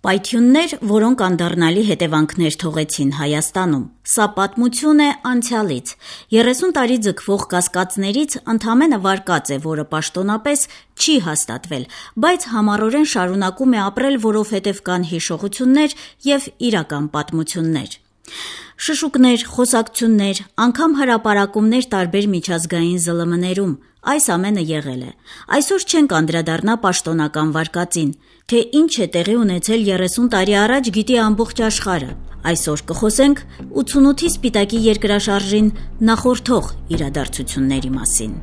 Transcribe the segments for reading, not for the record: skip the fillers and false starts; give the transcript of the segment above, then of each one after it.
Պայթյուններ, որոնք անդառնալի հետևանքներ թողեցին Հայաստանում։ Սա պատմություն է անցյալից։ 30 տարի ձգվող կասկածներից ընդամենը վարկած է, որը պաշտոնապես չի հաստատվել, բայց համառորեն շարունակում է ապրել, որովհետև կան հիշողություններ և իրական պատմություններ։ Շշուկներ, խոսակցություններ, անգամ հրապարակումներ տարբեր միջազգային ԶԼՄ-ներում, այս ամենը եղել է։ Այսօր չենք անդրադառնա պաշտոնական վարկածին, թե ինչ է տեղի ունեցել 30 տարի առաջ գիտի ամբողջ աշխարհը։ Այսօր կխոսենք 88-ի Սպիտակի երկրաշարժին նախորդող իրադարձությունների մասին։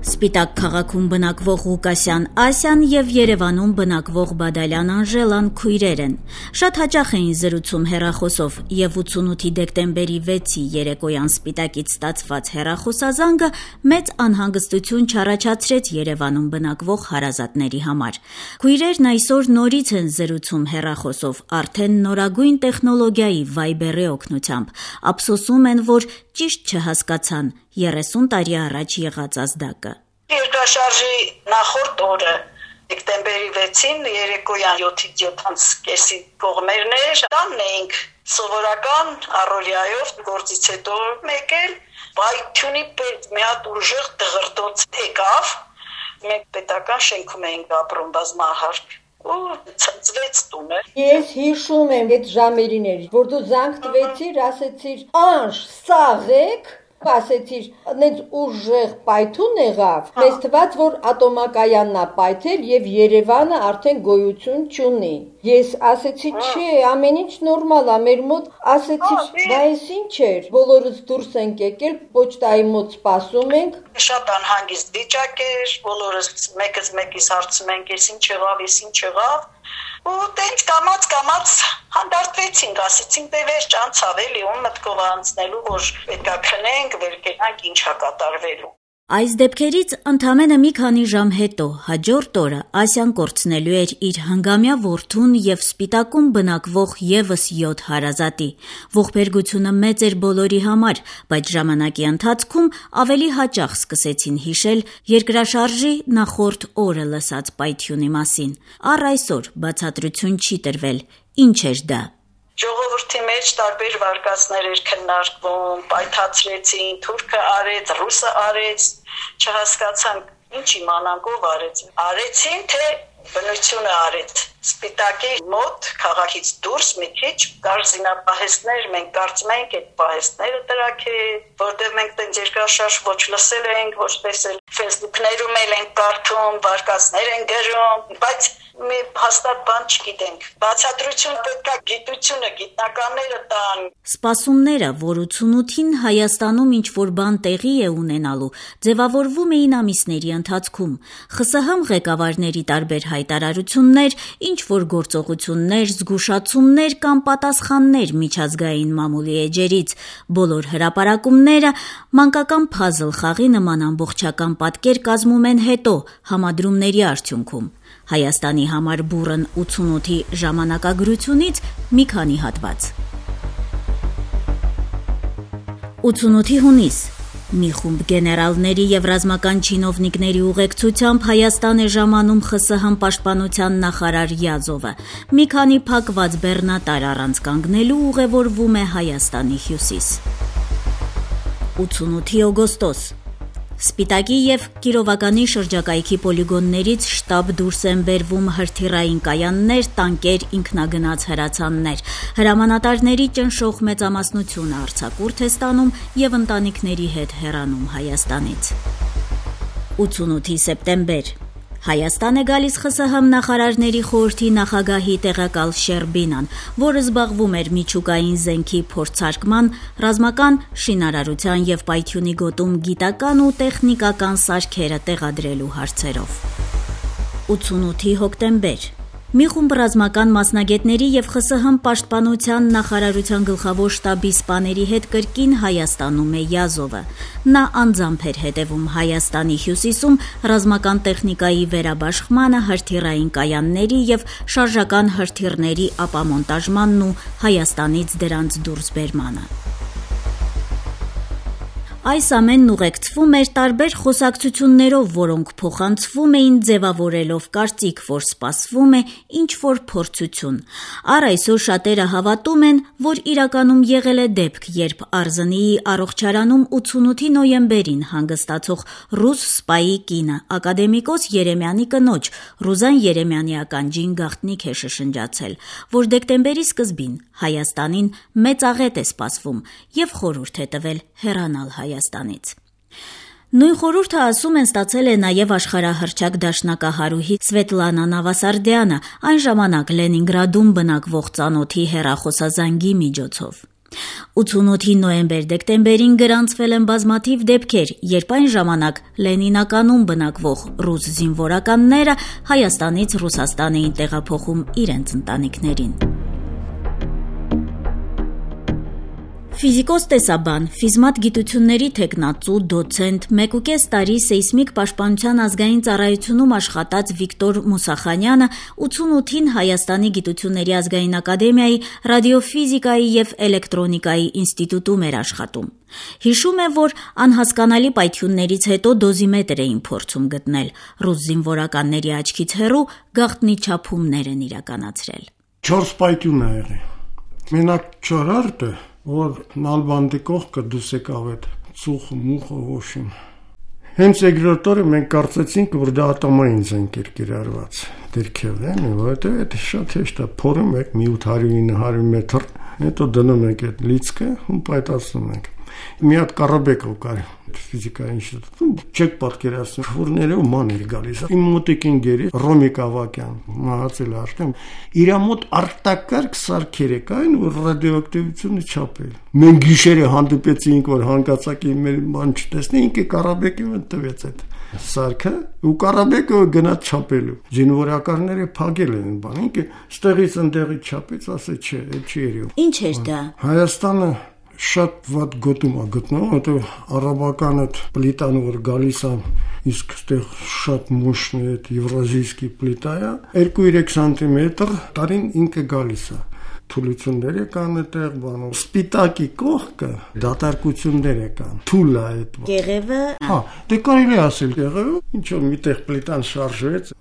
Սպիտակ քաղաքում բնակվող Ղուկասյան Ասյան և Երևանում բնակվող Բադալյան Անժելան քույրեր են։ Շատ հաճախ էին զրուցում հեռախոսով, և 88-ի դեկտեմբերի 6-ի երեկոյան Սպիտակից ստացված հեռախոսազանգը մեծ անհանգստություն չառաջացրեց Երևանում բնակվող հարազատների համար։ Քույրերն այսօր նորից են զրուցում հեռախոսով, արդեն նորագույն տեխնոլոգիայի Viber-ի օգնությամբ, ափսոսում են, որ ճիշտ չհասկացան 30 տարի առաջ եղած ազդակը։ Երկրաշարժի նախորդ օրը դեկտեմբերի 6-ին երեկոյան 7:30 կողմերն էր, տանն էինք սովորական առօրյայով գործից հետո եկել, պայթյունի պես մի հատ ուժեղ դղրդոց եկավ, մենք պետական շենքում էինք ապրում բազմահարկ ու ցնցվեց տունը։ Ես հիշում եմ այդ ժամերին էր, որ դու զանգ տվեցիր, ասեցիր «Անժ, սաղեք», ասեցիր, նենց ուժեղ պայթուն եղավ, մեզ թվաց, որ ատոմակայանն է պայթել և Երևանը արդեն գոյություն չունի։ Ես ասեցի, չէ, ամեն ինչ նորմալ է, մեր մոտ ասեցիր, բա էս ինչ էր, բոլորս դուրս ենք եկել, պոչտայի մոտ սպասում ենք։ Շատ անհանգիստ վիճակ էր, բոլորս մեկս մեկիս հարցում ենք, ես ինչ եղավ, ու տենց կամաց հանդարտվեցինք, ասեցինք դե վերջ անցավ էլի, ում մտքով անցնելու, որ պետքա քնենք, վեր կենանք, ինչ ա կատարվելու։ Այս դեպքերից ընդամենը մի քանի ժամ հետո, հաջորդ օրը Ասյան կորցնելու էր իր հնգամյա որդուն և Սպիտակում բնակվող ևս 7 հարազատի։ Ողբերգությունը մեծ էր բոլորի համար, բայց ժամանակի ընթացքում ավելի հաճախ սկսեցին հիշել երկրաշարժի նախորդ օրը լսած պայթյունի մասին։ Առ այսօր բացատրություն չի տրվել, ինչ էր դա։ Ժողովրդի մեջ տարբեր վարկածներ էր քննարկվում, պայթացրեցին, թուրքը արեց, ռուսը արեց, չհասկացանք, ինչ իմանանք ով արեց։ Արեցին, թե բնությունը արեց։ Սպիտակի մոտ քաղաքից դուրս մի քիչ կար զինապահեստներ, մենք կարծում ենք այդ պահեստները տրաքել, որտեղ մենք տենց երկրաշարժ ոչ լսել ենք, ոչ տեսել, Facebook-ներում էլ ենք կարդում, վարկածներ են գրում, բայց մի հաստատ բան չգիտենք։ Բացատրություն պետքա գիտությունը, գիտնականները տան։ Սպասումները, որ 88-ին Հայաստանում ինչ-որ բան տեղի է ունենալու, ձևավորվում էին ամիսների ընթացքում։ ԽՍՀՄ ղեկավարների տարբեր հայտարարություններ, ինչ-որ գործողություններ, զգուշացումներ կամ պատասխաններ միջազգային մամուլի էջերից, բոլոր հրապարակումները մանկական փազլ խաղի նման ամբողջական պատկեր կազմում են հետո, համադրումների արդյունքում։ Հայաստանի համար բուռն 88-ի ժամանակագրությունից մի քանի հատված։ 88-ի հունիս մի խումբ գեներալների և ռազմական չինովնիկների ուղեկցությամբ Հայաստան է ժամանում ԽՍՀՄ պաշտպանության նախարար Յազովը։ Մի քանի փակված բեռնատար առանց կանգնելու ուղևորվում է Հայաստանի հյուսիս։ 88-ի օգոստոս Սպիտակի և Կիրովականի շրջակայքի պոլիգոններից շտապ դուրս են բերվում հրթիռային կայաններ, տանկեր, ինքնագնաց հրացաններ։ Հրամանատարների ճնշող մեծամասնությունը արձակուրդ է ստանում և ընտանիքների հետ հեռանում Հայաստանից։ 88-ի սեպտեմբեր Հայաստան է գալիս ԽՍՀՄ նախարարների խորհրդի նախագահի տեղակալ Շերբինան, որը զբաղվում էր միջուկային զենքի փորձարկման, ռազմական շինարարության և պայթյունի գոտում գիտական ու տեխնիկական սարքերը տեղադրելու հարցերով։ 88-ի հոկտեմբեր Մի խումբ ռազմական մասնագետների և ԽՍՀՄ պաշտպանության նախարարության գլխավոր շտաբի սպաների հետ կրկին Հայաստանում է Յազովը։ Նա անձամբ էր հետևում Հայաստանի հյուսիսում ռազմական տեխնիկայի վերաբաշխմանը, հրթիռային կայանների և շարժական հրթիռների ապամոնտաժմանն ու Հայաստանից դրանց դուրսբերմանը։ Այս ամենն ուղեկցվում էր տարբեր խոսակցություններով, որոնք փոխանցվում էին ձևավորելով կարծիք, որ սպասվում է ինչ-որ փորձություն։ Առ այսօր շատերը հավատում են, որ իրականում եղել է դեպք, երբ Արզնիի առողջարանում 88 նոյեմբերին հանգստացող ռուս սպայի կինը, ակադեմիկոս Երեմյանի կնոջ Ռուզան Երեմյանի ականջին գաղտնիք է շշնջացել, որ դեկտեմբերի սկզբին Հայաստանին մեծ աղետ է սպասվում և խորհուրդ է տվել հեռանալ Հայաստանից։ Նույն խորհուրդը, ասում են, ստացել է նաև աշխարհահռչակ դաշնակահարուհի Սվետլանա Նավասարդյանը, այն ժամանակ Լենինգրադում բնակվող ծանոթի հեռախոսազանգի միջոցով։ 88 նոյեմբեր-դեկտեմբերին գրանցվել են բազմաթիվ դեպքեր, երբ այն ժամանակ Լենինականում բնակվող ռուս զինվորականները Հայաստանից Ռուսաստան էին տեղափոխում իրենց ընտանիքներին։ Ֆիզիկոս-տեսաբան, ֆիզմատ գիտությունների թեկնածու, դոցենտ, 1.5 տարի սեյսմիկ պաշտպանության ազգային ծառայությունում աշխատած Վիկտոր Մուսախանյանը 88-ին Հայաստանի գիտությունների ազգային ակադեմիայի ռադիոֆիզիկայի և էլեկտրոնիկայի ինստիտուտում էր աշխատում։ Հիշում է, որ անհասկանալի պայթյուններից հետո դոզիմետր էին փորձում գտնել, ռուս զինվորականների աչքից հեռու գաղտնի չափումներ են իրականացրել։ 4 պայթյուն է եղել։ Մենակ չորրորդը, որ նալբանդի կողքը դուս եկավ այդ ծուխը, մուխը, ոշին։ Հենց երկրորդ օրը մենք կարծեցինք, որ դա ատոմային զենք էր կիրառված դիրքև, որովհետև դա շատ հեշտ է, փորում եք մի 800-900 մետր, հետո դնում եք այդ լիցքը ու պայթացնում եք։ Մի հատ Կարաբեկով կար ֆիզիկայի ինստիտուտում, չեք պատկերացնում, ֆուրները ու ման էր գալիս։ Իմ մոտիկ ընկերի Ռոմիկ Ավակյան, մահացել արդեն, իր մոտ արտակարգ սարքեր կային, որ ռադիոակտիվությունը չափել։ Մենք գիշերը հանդիպեցինք, որ հանկարծակի մեր բան չտեսնի, ինքը Կարաբեկին տվեց այդ սարքը, ու Կարաբեկը գնաց չափելու։ Զինվորականները փակել են բան, ինքը ստեղից ընդեղից չափեց, ասեց չէ, այդ չի երևում։ Ինչ էր դա։ Հայաստանը շատ վատ գոտում է գտնում, որտեղ արաբական այդ պլիտան, որ գալիս է, իսկ այդտեղ շատ մощն է, այդ եվրազիյսկի պլիտա է, 2-3 սանտիմետր տարին ինքը գալիս է։ Թուլությունները կան այդտեղ բանով, սպիտակի կողքը դատարկությունները կան, թուլ է այդ։ Կեղևը։ Հա, դե կարելի ասել կեղևը, ինչ որ միտեղ պլիտան շարժվեց,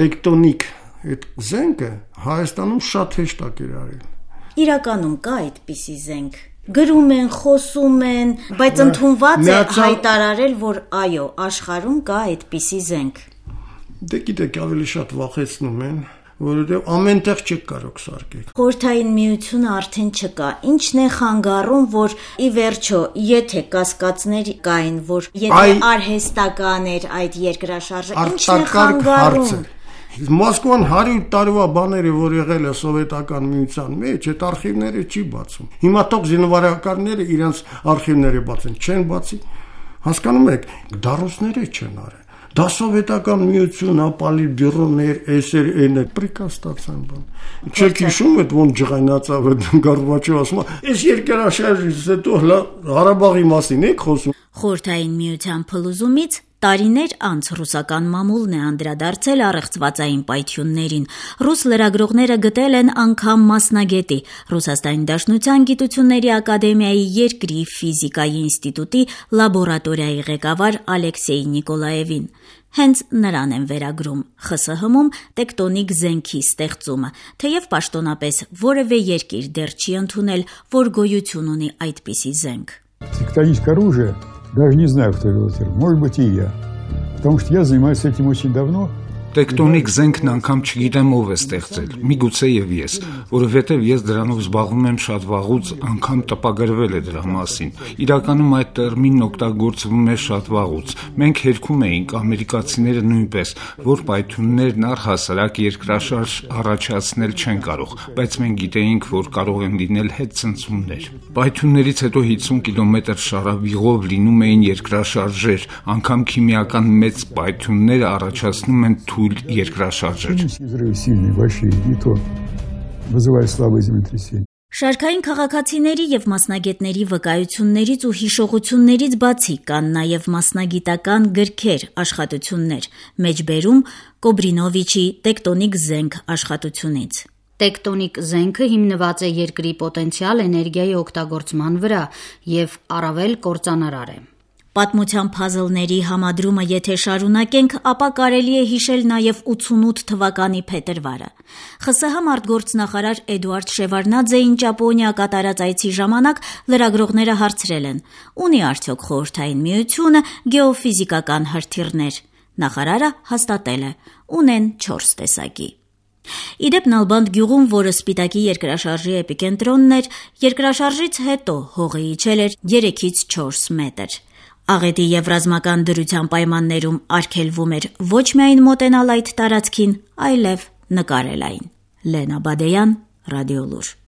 տեկտոնիկ այդ զենքը Հայաստանում շատ հեշտ է կիրառել։ Իրականում կա այդպիսի զենք։ Գրում են, խոսում են, բայց ընդունված է հայտարարել, որ այո, աշխարհում կա այդպիսի զենք։ Դե գիտեք, ավելի շատ վախեցնում են, որովհետև ամենտեղ չեք կարող սարքել։ Խորհրդային միությունը արդեն չկա։ Ինչն է խանգարում, որ ի վերջո, եթե կասկածներ կային, որ եթե արհեստական էր այդ երկրաշարժը, ինչն է խանգարում։ Մոսկվան 100 տարվա բաները, որ եղել է սովետական միության մեջ, այդ արխիվները չի բացում։ Հիմա թող զինվորականները իրենց արխիվները բացեն, չեն բացի։ Հասկանում եք, դարոսները չեն արել։ Դա սովետական միություն, ապալի բյուրոներ, էսեր, էներ, պրիկազ ստացան բան։ Չեք հիշում այդ ոնց ջղայնացավ այդ Գորբաչովը ասում, այս երկրաշարժից հետո Ղարաբաղի մասին եք խոսում։ Խորհրդային միության փլուզումից տարիներ անց ռուսական մամուլն է անդրադարձել առեղծվածային պայթյուններին։ Ռուս լրագրողները գտել են անգամ մասնագետի, Ռուսաստանի Դաշնության Գիտությունների Ակադեմիայի երկրի ֆիզիկայի ինստիտուտի լաբորատորիայի ղեկավար Ալեքսեյ Նիկոլաևին։ Հենց նրան են վերագրում ԽՍՀՄ-ում տեկտոնիկ զենքի ստեղծումը, թեև պաշտոնապես որևէ երկիր դեռ չի ընդունել, որ գոյություն ունի այդպիսի զենք։ Тектоническое оружие, даже не знаю, кто его сделал, может быть и я, потому что я занимаюсь этим очень давно. Տեկտոնիկ զենքն անգամ չգիտեմ ով է ստեղծել, միգուցե եւ ես, որովհետեւ ես դրանով զբաղվում եմ շատ վաղուց, անգամ տպագրվել է դրա մասին։ Իրականում այդ տերմինն օգտագործվում է շատ վաղուց։ Մենք հերքում էինք, ամերիկացիները նույնպես, որ պայթյուններն առհասարակ երկրաշարժ առաջացնել չեն կարող, բայց մենք գիտեինք, որ կարող են լինել հետցնցումներ։ Պայթյուններից հետո 50 կիլոմետր շարավիղով լինում էին երկրաշարժեր, անգամ քիմիական մեծ պայթյունները առաջացնում են երկրաշարժեր։ Շարքային քաղաքացիների եւ մասնագետների վկայություններից ու հիշողություններից բացի կան նաեւ մասնագիտական գրքեր, աշխատություններ, մեջբերում Կոբրինովիչի «Տեկտոնիկ զենք» աշխատությունից։ Տեկտոնիկ զենքը հիմնված է երկրի պոտենցիալ էներգիայի օգտագործման վրա եւ առավել կործանարար է։ Պատմության փազլների համադրումը եթե շարունակենք, ապա կարելի է հիշել նաև 88 թվականի փետրվարը։ ԽՍՀՄ արտգործնախարար Էդուարդ Շևարդնաձեին Ճապոնիա կատարած այցի ժամանակ լրագրողները հարցրել են. «Ունի արդյոք Խորհրդային Միությունը գեոֆիզիկական հրթիռներ»։ Նախարարը հաստատել է. ունեն 4 տեսակի։ Իդեպ Նալբանդ գյուղում, որը Սպիտակի երկրաշարժի էպիկենտրոնն էր, երկրաշարժից հետո հողը իջել էր 3-ից 4 մետր։ Աղետի և ռազմական դրության պայմաններում արգելվում էր ոչ միայն մոտենալ այդ տարածքին, այլև նկարել այն։ Լենա Բադեյան, Ռադիոլուր։